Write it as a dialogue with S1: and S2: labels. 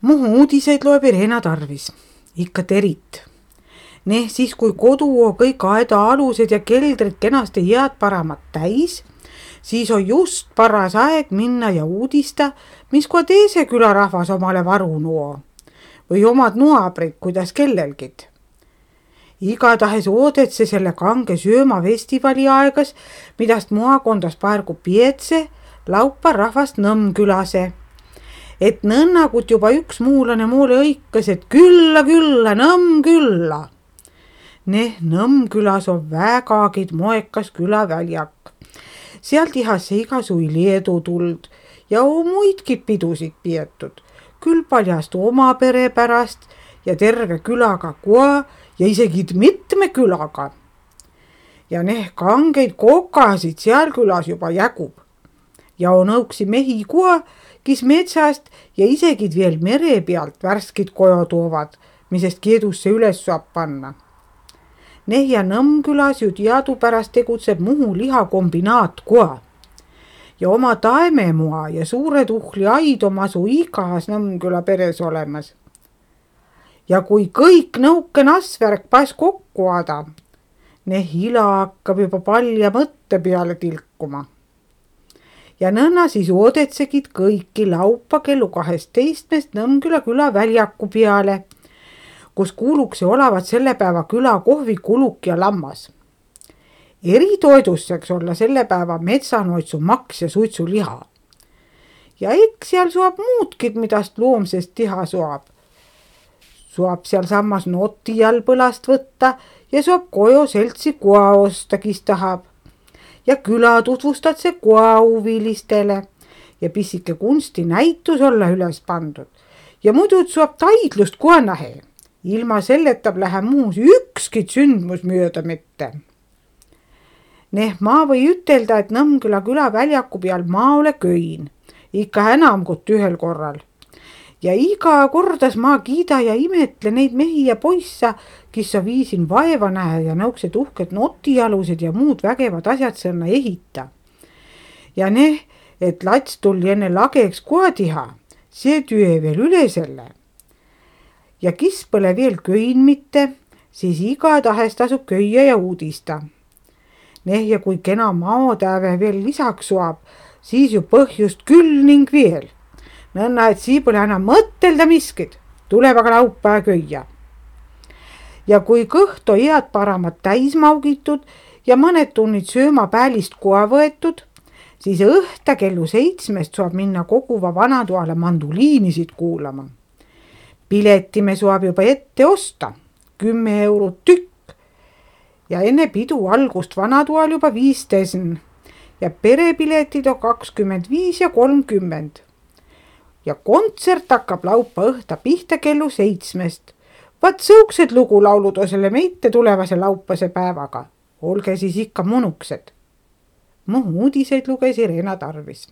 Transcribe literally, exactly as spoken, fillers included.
S1: Muhu uudiseid loeb Irena Tarvis, ikka terit. Neh siis, kui kodu on kõik aeda-alused ja keldrid kenasti head paramat täis, siis on just paras aeg minna ja uudista, mis kui teise külarahvas omale varu nuo või omad nuabrid, kuidas kellelgid. Igatahes oodetse selle kange söömafestivali aegas, midast maakondas paargu pietse, laupa rahvast Nõmmkülase. Et nõnnagut juba üks muulane moole õikas, et külla, külla, Nõmmkülla. Neh Nõmmkülas on vägagid moekas külaväljak. Seal tihasse igasui leedu tuld ja muidki pidusid pietud. Küll paljast oma pere pärast ja terve külaga koa ja isegi mitme külaga. Ja neh kangeid kokasid seal külas juba jägub. Ja on õuksi mehi koa, kis metsast ja isegi veel mere pealt värskid kojo toovad, misest keedusse üles saab panna. Neh ja Nõmmkülas ju teadupärast tegutseb Muhu lihakombinaat koa. Ja oma taememoa ja suure tuhli aid on asu igas Nõmmküla peres olemas. Ja kui kõik nõuke nasvärk paes kokku ada, neh ila hakkab juba palja mõtte peale tilkuma. Ja nõnna siis oodetsegid kõiki laupa kellu kaheteistmest Nõmmküla küla väljaku peale, kus kuuluksi olevat selle päeva küla kohvi kuluk ja lammas. Eritoidusseks olla selle päeva metsanoitsu maks ja suitsuliha. Ja eks seal suab muudkid, midast loomsest tiha suab. Suab seal sammas noti all põlast võtta ja suab kojo seltsi koa osta, kis tahab. Ja küla tutvustad see koa huvilistele ja pissike kunsti näitus olla üles pandud. Ja muidu suab taidlust koa nähe. Ilma selletab lähe muus ükskit sündmus mööda mitte. Neh ma või ütelda, et Nõmmküla küla väljaku peal ma ole köin, ikka enam kui ühel korral. Ja iga kordas ma kiida ja imetle neid mehi ja poissa, kes sa viisin vaeva nähe ja nõuksed uhked notialused ja muud vägevad asjad sõnna ehita. Ja neh, et lats tuli enne lageks koha tiha, see tüe veel üle selle. Ja kis pole veel köin mitte, siis igatahes tasub köia ja uudista. Neh ja kui kena maotäve veel lisaks suab, siis ju põhjust küll ning veel. Nõnna, et sii pole enam mõttelda miskid, tuleb aga laupa köia. Ja kui kõht on head paramat täis maugitud ja mõned tunnid sööma päälist koa võetud, siis õhta kellu seitsmest saab minna koguva vanatoale manduliinisid kuulama. Pileti me saab juba ette osta, kümme eurot tükk ja enne pidu algust vanatoal juba viisteisen ja perepiletid on kakskümmend viis ja kolmkümmend. Ja kontsert hakkab laupa õhta pihta kellu seitsmest. Vat sõuksed lugulaulud on selle meite tulevase laupase päevaga. Olge siis ikka monuksed. Muhu uudiseid luges Irena Tarvis.